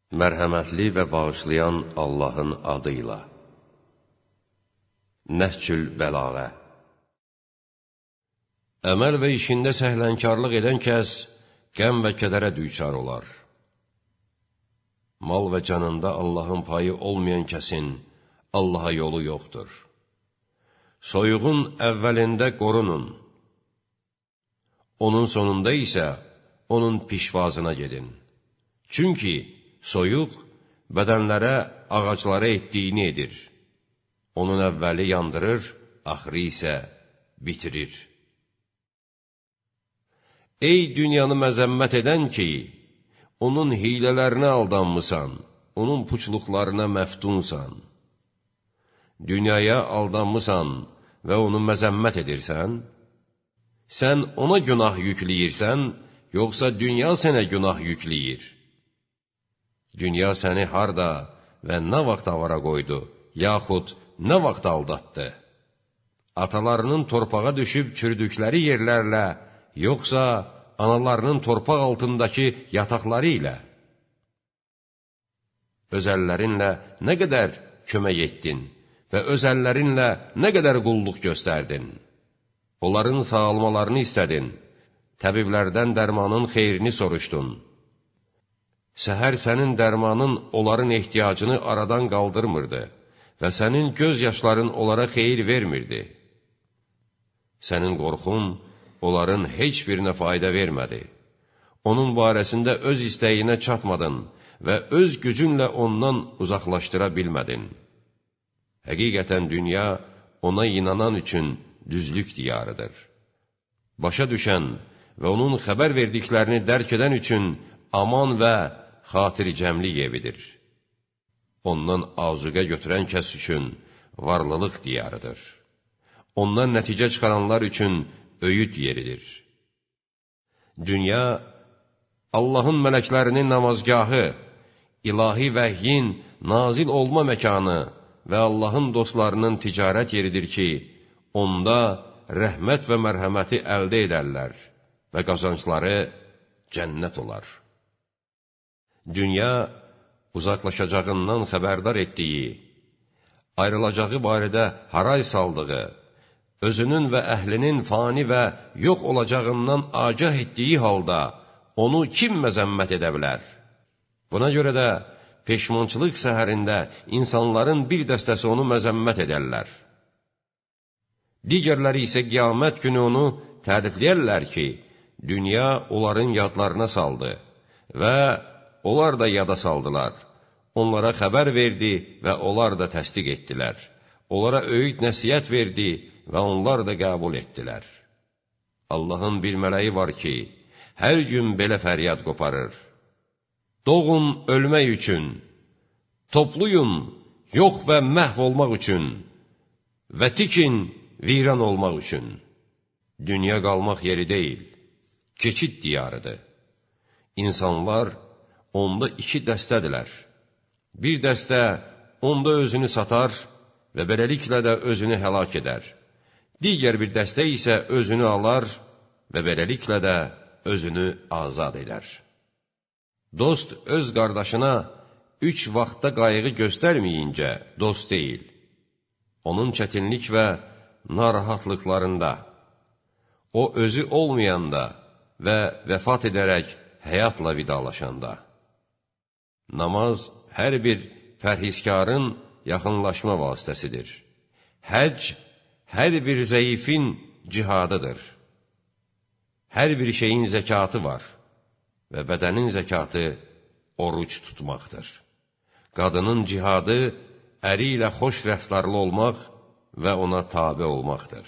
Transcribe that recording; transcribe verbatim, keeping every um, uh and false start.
Mərhəmətli və bağışlayan Allahın adıyla. Nəhcül Bəlağə. Əməl və işində səhlənkarlıq edən kəs qəm və kədərə düçar olar. Mal və canında Allahın payı olmayan kəsin Allaha yolu yoxdur. Soyuğun əvvəlində qorunun. Onun sonunda isə onun pişvazına gedin. Çünki soyuq bədənlərə, ağaclara etdiyini edir. Onun əvvəli yandırır, axırı isə bitirir. Ey dünyanı məzəmmət edən ki, onun hilələrinə aldanmısan, onun puçluqlarına məftunsan. Dünyaya aldanmısan və onu məzəmmət edirsən, sən ona günah yükləyirsən, yoxsa dünya sənə günah yükləyir? Dünya səni harda və nə vaxt avara qoydu, yaxud nə vaxt aldatdı? Atalarının torpağa düşüb çürdükləri yerlərlə, yoxsa analarının torpaq altındakı yataqları ilə? Öz əllərinlə nə qədər kömək etdin və öz əllərinlə nə qədər qulluq göstərdin? Onların sağalmalarını istədin, təbiblərdən dərmanın xeyrini soruşdun. Səhər sənin dərmanın onların ehtiyacını aradan qaldırmırdı və sənin göz yaşların onlara xeyir vermirdi. Sənin qorxun onların heç birinə fayda vermədi. Onun barəsində öz istəyinə çatmadın və öz gücünlə ondan uzaqlaşdıra bilmədin. Həqiqətən dünya ona inanan üçün düzlük diyarıdır. Başa düşən və onun xəbər verdiklərini dərk edən üçün aman və xatircəmlik evidir. Ondan azuqə götürən kəs üçün varlılıq diyarıdır. Ondan nəticə çıxaranlar üçün öyüd yeridir. Dünya, Allahın mələklərinin namazgahı, ilahi vəhyin nazil olma məkanı və Allahın dostlarının ticarət yeridir ki, onda rəhmət və mərhəməti əldə edərlər və qazancları cənnət olar. Dünya, uzaqlaşacağından xəbərdar etdiyi, ayrılacağı barədə haray saldığı, özünün və əhlinin fani və yox olacağından agah etdiyi halda onu kim məzəmmət edə bilər? Buna görə də peşmançılıq səhərində insanların bir dəstəsi onu məzəmmət edərlər. Digərləri isə qiyamət günü onu tərifləyərlər ki, dünya onların yadlarına saldı və onlar da yada saldılar. Onlara xəbər verdi və onlar da təsdiq etdilər. Onlara öyüd nəsiyyət verdi və onlar da qəbul etdilər. Allahın bir mələyi var ki, hər gün belə fəryad qoparır. Doğun ölmək üçün, topluyun yox və məhv olmaq üçün və tikin viran olmaq üçün. Dünya qalmaq yeri deyil, keçid diyarıdır. İnsanlar onda iki dəstədilər. Bir dəstə onda özünü satar və beləliklə də özünü həlak edər. Digər bir dəstə isə özünü alar və beləliklə də özünü azad edər. Dost öz qardaşına üç vaxtda qayğı göstərməyincə dost deyil. Onun çətinlik və narahatlıqlarında, o özü olmayanda və vəfat edərək həyatla vidalaşanda. Namaz hər bir pərhizkarın yaxınlaşma vasitəsidir. Həcc hər bir zəifin cihadıdır. Hər bir şeyin zəkatı var və bədənin zəkatı oruc tutmaqdır. Qadının cihadı əri ilə xoş rəftarlı olmaq və ona tabe olmaqdır.